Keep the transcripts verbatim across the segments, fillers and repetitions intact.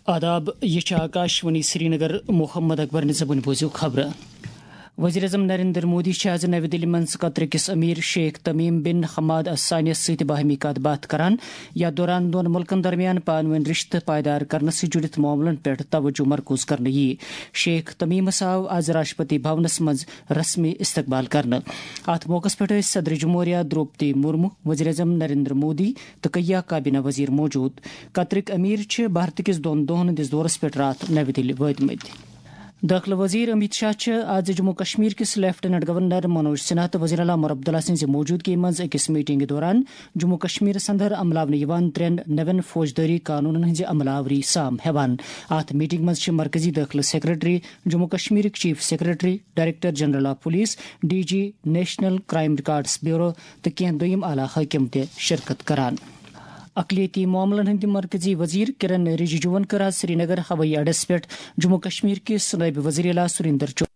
آداب، یہِ چھِ آکاشوانی سرینگر۔ محمد اکبر نِظامُن بوٗزِو خبرٕ۔ وزیر اعظم نریندر مودی چھِ آز نَوِ دِلہِ منٛز قطر کِس امیر شیخ تمیم بن حماد الثانیس سۭتۍ باہمی کتھ باتھ کران، یتھ دوران دۄن مُلکن درمیان پانہٕ ؤنۍ رشتہٕ پائیدار کرنہٕ سۭتۍ جُڑِتھ معاملن پٮ۪ٹھ توجہ مرکوز کرنہٕ یِیہِ۔ شیخ تمیمس آو آز راشٹرپتی بھونس منٛز رسمی استقبال کرنہٕ۔ اتھ موقعس پٮ۪ٹھ ٲسۍ صدر جمہوریہ دروپدی مرمو، وزیر اعظم نریندر مودی تہٕ کیا کابینہ وزیر موجود۔ قطرٕکۍ امیر چھِ بھارت کِس دۄن دۄہن ہٕنٛدِس دورس پٮ۪ٹھ راتھ نَوِ دِلہِ وٲتمٕتۍ۔ دٲخلہٕ وزیر امیت شاہ چھِ آز جموں کشمیر کِس لیفٹیننٹ گورنر منوج سنہا تہٕ وزیر اعلیٰ عمر عبداللہ سٕنٛزِ موجودگی منٛز أکِس میٹنگہِ دوران جموں کشمیرس اندر عملاونہٕ یِوان ترٛٮ۪ن نوٮ۪ن فوجدٲری قانونن ہٕنٛزِ عملاوری سام ہٮ۪وان۔ اتھ میٹنگ منٛز چھِ مرکزی دٲخلہٕ سیکرٹری، جموں کشمیرٕکۍ chief secretary, director general of police, D G, national crime records bureau تہٕ کینٛہہ دوٚیِم اعلیٰ حٲکِم تہِ شرکت کران۔ اقلیتی معاملن ہٕنٛدِ مرکزی وزیر کرن رجیجوَن کٔر آز سرینگر ہوٲیی اڈس پٮ۪ٹھ جموں کشمیر کِس نٲیِب وزیر اعلیٰ سریندر چو-،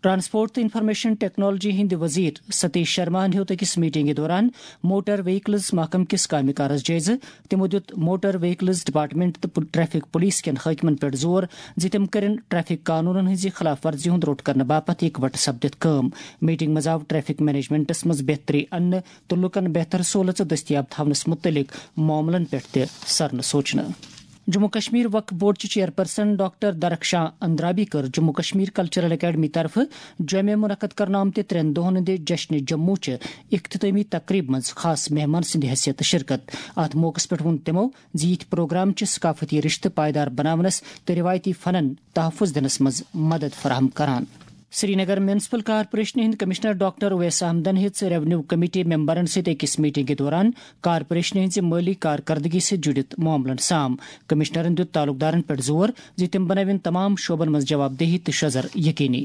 ٹرانسپورٹ تہٕ انفارمیشن ٹیکنالوجی ہٕنٛدِ وزیر ستیش شرماہن ہیوٚت أکِس میٹنگہِ دوران موٹر وہیکلز محکمہٕ کِس کامہِ کارس جٲیزٕ۔ تِمو دیُت موٹر وہیکلز ڈپارٹمنٹ تہٕ پُ-، ٹریفک پولیس کٮ۪ن حٲکمن پٮ۪ٹھ زور زِ تِم کٔرِن ٹریفک قانونن ہٕنٛزِ خلاف ورزی ہُنٛد روٚٹ کرنہٕ باپتھ اِکوٹہٕ سپدِتھ کٲم۔ میٹنگ منٛز آو ٹریفک مینجمنٹس منٛز بہتری اننہٕ تہٕ لوٗکن بہتر سہولژٕ دٔستیاب تھاونس مُتعلق معاملن پٮ۪ٹھ تہِ سرنہٕ سوچنہٕ۔ جموں کشمیر وقف بورڈ چہِ چیئرپرسن ڈاکٹر درخشاں اندرابی کٔر جموں کشمیر کلچرل اکیڈمی طرفہٕ جوٚمہِ منعقد کرنہٕ آمتہِ ترٛٮ۪ن دۄہن ہٕنٛدِ جشنِ جموں چہِ اختتٲمی تقریبہِ منٛز خاص مہمان سٕنٛدِ حیثیت شرکت۔ اتھ موقعس پٮ۪ٹھ ووٚن تِمو زِ یِتھۍ پروگرام چھِ ثقافتی رشتہٕ پائیدار بناونس تہٕ روایتی فنن تحفظ دِنس منٛز مدد فراہم کران۔ سرینگر میونسپل کارپوریشنہِ ہٕنٛدۍ کمشنر ڈاکٹر اویس احمدن ہیٚژ ریونیو کمیٹی ممبرن سۭتۍ أکِس میٹنگہِ دوران کارپوریشنہِ ہٕنٛزِ مٲلی کارکردگی سۭتۍ جُڑِتھ معاملن سام۔ کمشنرن دیُت تعلقدارن پٮ۪ٹھ زور زِ تِم بنٲوِن تمام شعبن منٛز جواب دہی تہٕ شزر یقینی۔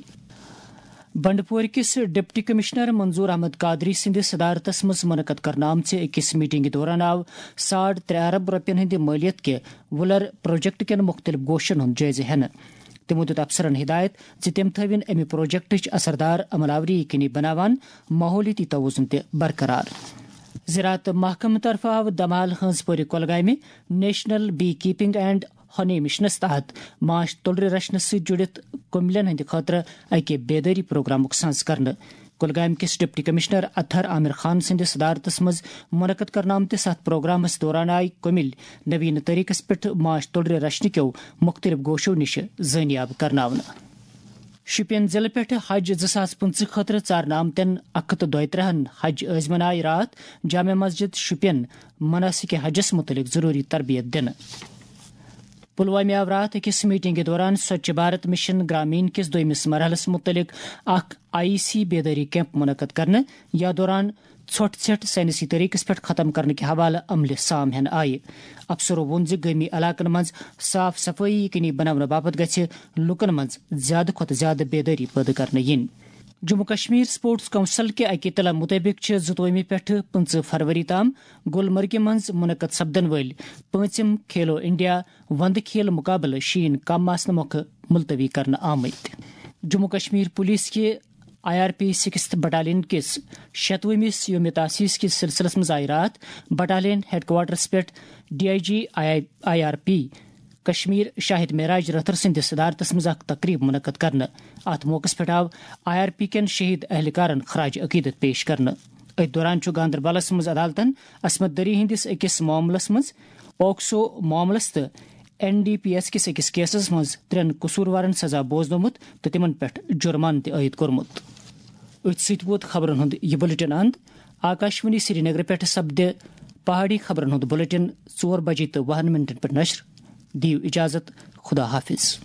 بنڈپور کِس ڈپٹی کمشنر منظور احمد قادری سٕنٛدِ صدارتس منٛز منعقد کرنہٕ آمژِ أکِس میٹنگہِ دوران آو ساڑ ترٛےٚ ارب رۄپین ہٕنٛدِ مٲلیت کہِ وُلر پروجیکٹ کٮ۪ن مُختٔلِف گوشن ہُنٛد جٲیزٕ ہٮ۪نہٕ۔ تِمو دیُت افسرن ہدایت زِ تِم تھٲوِن امہِ پروجیکٹٕچ اثردار عمل آوری یقینی بناوان ماحولیٲتی توازن تہِ برقرار۔ زراعت محکمہٕ طرفہٕ آو دمال ہٲنز پورِ کۄلگامہِ national bee keeping and honey مشنس تحت ماچھ تُلرِ رچھنس سۭتۍ جُڑِتھ کُملٮ۪ن ہٕنٛدِ خٲطرٕ اکہِ بیدٲری پروگرامُک سنز کرنہٕ۔ کۄلگامہِ کِس ڈپٹی کمشنر اطہر عامر خان سٕنٛدِس صدارتس منٛز منعقد کرنہٕ آمتِس اتھ پروگرامس دوران آیہِ کُمِلۍ نوین طریقس پٮ۪ٹھ ماچھ تُلرِ رچھنہٕ کیو مُختٔلِف گوشو نِش زٲنیاب کرناونہٕ۔ شُپین ضلعہٕ پٮ۪ٹھٕ حج زٕ ساس پٕنٛژٕہ خٲطرٕ ژارنہٕ آمتٮ۪ن اکھ ہتھ تہٕ دۄیہِ ترٕٛہن حج عٲزمن آیہِ راتھ جامع مسجد شُپین مناسک حجس مُتعلق ضروٗری تربیت دِنہٕ۔ پلوامہِ آو راتھ أکِس میٹنگہِ دوران سوچھ بھارت مشن گرامین کِس دوٚیمِس مرحلس مُتعلق اکھ آئی سی بیدٲری کیمپ منعقد کرنہٕ، یتھ دوران ژھۄٹھ ژھٮ۪ٹھ سائنسی طریقس پٮ۪ٹھ ختم کرنہٕ کہِ حوالہٕ عملہِ سام ہٮ۪نہٕ آیہِ۔ افسرو ووٚن زِ گٲمی علاقن منٛز صاف صفٲیی یقینی بناونہٕ باپتھ گژھِ لوٗکن منٛز زیادٕ کھۄتہٕ زیادٕ بیدٲری پٲدٕ کرنہٕ یِنۍ۔ جموں کشمیر سپورٹس کونسل کہِ اکہِ اطلاع مُطٲبِق چھِ زٕتووُہمہِ پٮ۪ٹھٕ پٕنٛژٕہ فروری تام گلمرگہِ منٛز منعقد سپدن وٲلۍ پٲنٛژِم کھیلو انڈیا وندٕ کھیل مُقابلہٕ شیٖن کم آسنہٕ مۄکھٕ ملتوی کرنہٕ آمٕتۍ۔ جموں کشمیر پولیس کہِ I R P sixth battalion کِس شتوُہمِس یوم تاسیس کِس سلسلس منٛز آیہِ راتھ بٹالین ہیڈ کوارٹرس پٮ۪ٹھ D I G I R P Kashmir Shahid Meraj Rather سٕنٛدِس صدارتس منٛز اکھ تقریب منعقد کرنہٕ۔ اتھ موقعس پٮ۪ٹھ آو آئی آر پی کٮ۪ن شہید اہلکارن خراج عقیدت پیش کرنہٕ۔ أتھۍ دوران چھُ گاندربلس منٛز عدالتن عصمت دری ہٕنٛدِس أکِس معاملس منٛز پوکسو معاملس تہٕ این ڈی پی ایس کِس أکِس کیسس منٛز ترٛٮ۪ن قصوٗروارن سزا بوزنومُت تہٕ تِمن پٮ۪ٹھ جُرمانہٕ تہِ عٲید کوٚرمُت۔ أتھۍ سۭتۍ ووت خبرن ہُنٛد یہِ بلیٹن اند۔ آکاشوانی سرینگر پٮ۪ٹھ سپدِ پہاڑی خبرن ہُنٛد بلیٹن ژور بجے تہٕ وُہن منٹن پٮ۪ٹھ نشر۔ دِیِو اجازت، خدا حافظ۔